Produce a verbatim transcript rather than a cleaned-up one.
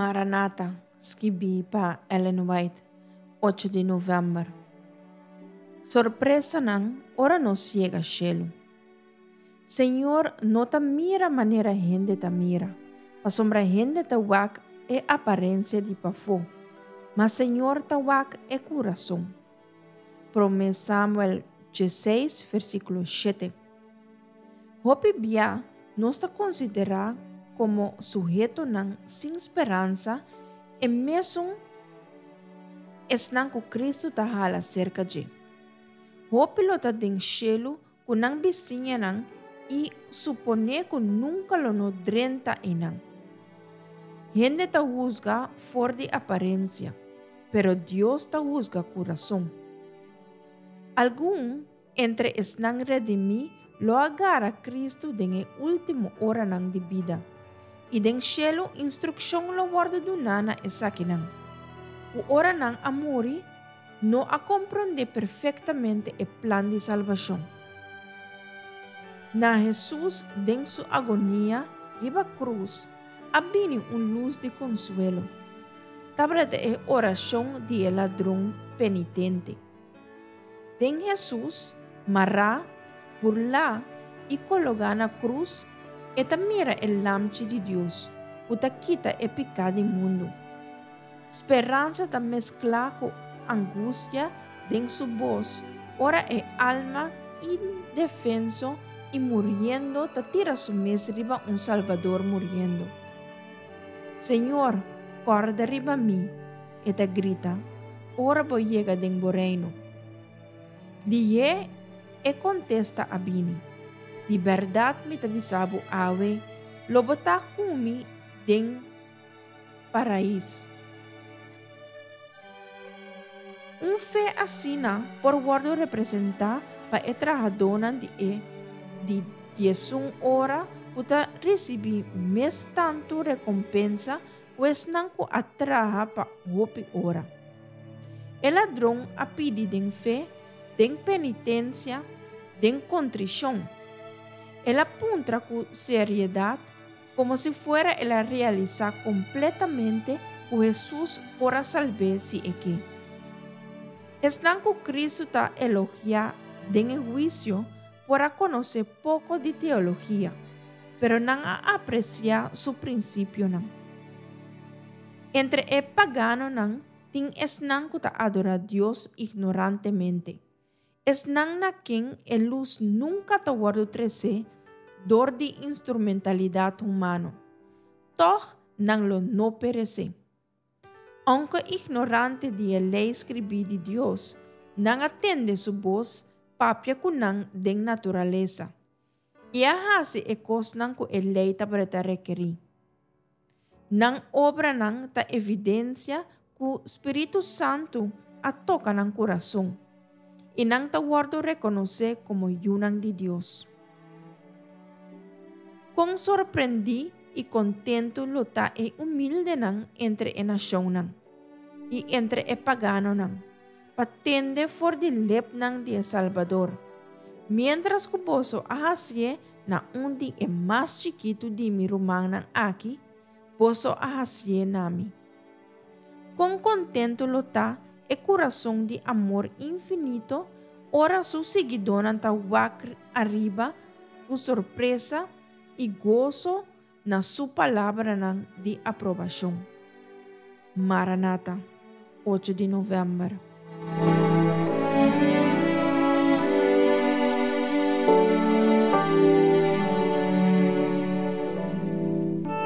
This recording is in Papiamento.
Maranata, skibí pa Ellen White, ocho di novèmber. Sorpresanan ora nos yega shelu. Señor no ta mira manera hende ta mira, pasobra hende ta wak e aparensia di pafó, ma Señor ta wak e kurason. Promé Samuel diesseis, versíkulo shete. Hopi bia nos ta konsiderá komo suhetonan sin speransa e mesun esnan ku Kristu ta hala serka dje. Hopi lo ta den shelu ku nan bisiñanan i suponé ku nunka lo no drenta einan. Hende ta husga for di aparensia, pero Dios ta husga kurason. Algun entre esnan redimí lo a gara Kristu den e último oranan di bida, i den shelu instrukshon lo wòrdu duná na esakinan, ku ora nan a muri, no a komprondé perfektamente e plan di salbashon. Na Hesus den su agonia riba krus a bini un lus di konsuelo. Tabata e orashon di e ladron penitente. Den Hesus, mará, burlá i kologá na krus, e ta mira e Lamchi di Dios, ku ta kita e piká di mundu. Speransa ta mesklá ku angustia den su bos ora e alma indefenso i muriendo ta tira su mes riba un Salbador muriendo. Señor, kòrda riba mi, e ta grita, ora bo yega den bo reino. Lihé e kontesta a bini, Di bèrdat mi ta bisa bo awe, lo bo ta ku mi den Paraís. Un fe asina por wòrdu representá pa e trahadónan di e di diesun ora ku ta risibí mes tantu rekompensa ku esnan ku a traha pa hopi ora. E ladron a pidi den fe, den penitensia, den kontrishon. El a puntra ku seriedat, komo si fuera el a realisá kompletamente ku Hesus por a salb'é si e ke. Esnan ku Kristu ta elogiá den e huisio por a konosé poko di teologia, pero nan a apresiá su prinsipionan. Entre e paganonan tin esnan ku ta adorá Dios ignorantemente. Esnan na ken e lus nunka ta wòrdu tresé dor di instrumentalidat humano. Tòg nan lo no peresé. Ounke ignorante di e lei skribí di Dios, nan a tende su bos papia ku nan den naturalesa i a hasi e kosnan ku e lei tabata rekerí. Nan obranan ta evidensia ku Spiritu Santu a toka nan kurason, i nan ta wòrdu rekonosé komo yunan di Dios. Kon sorprendí i kontentu lo ta e humildenan entre e nashonnan i entre e paganonan, pa tende for di lepnan di e Salbador, Miéntras ku boso a hasié na un di e mas chikitu di mi rumannan aki, boso a hasié na mi. Kon kontentu lo ta e kurason di amor infinito ora su siguidónan ta wak ariba ku sorpresa i goso na su palabranan di aprobashon. Maranata, ocho di novèmber.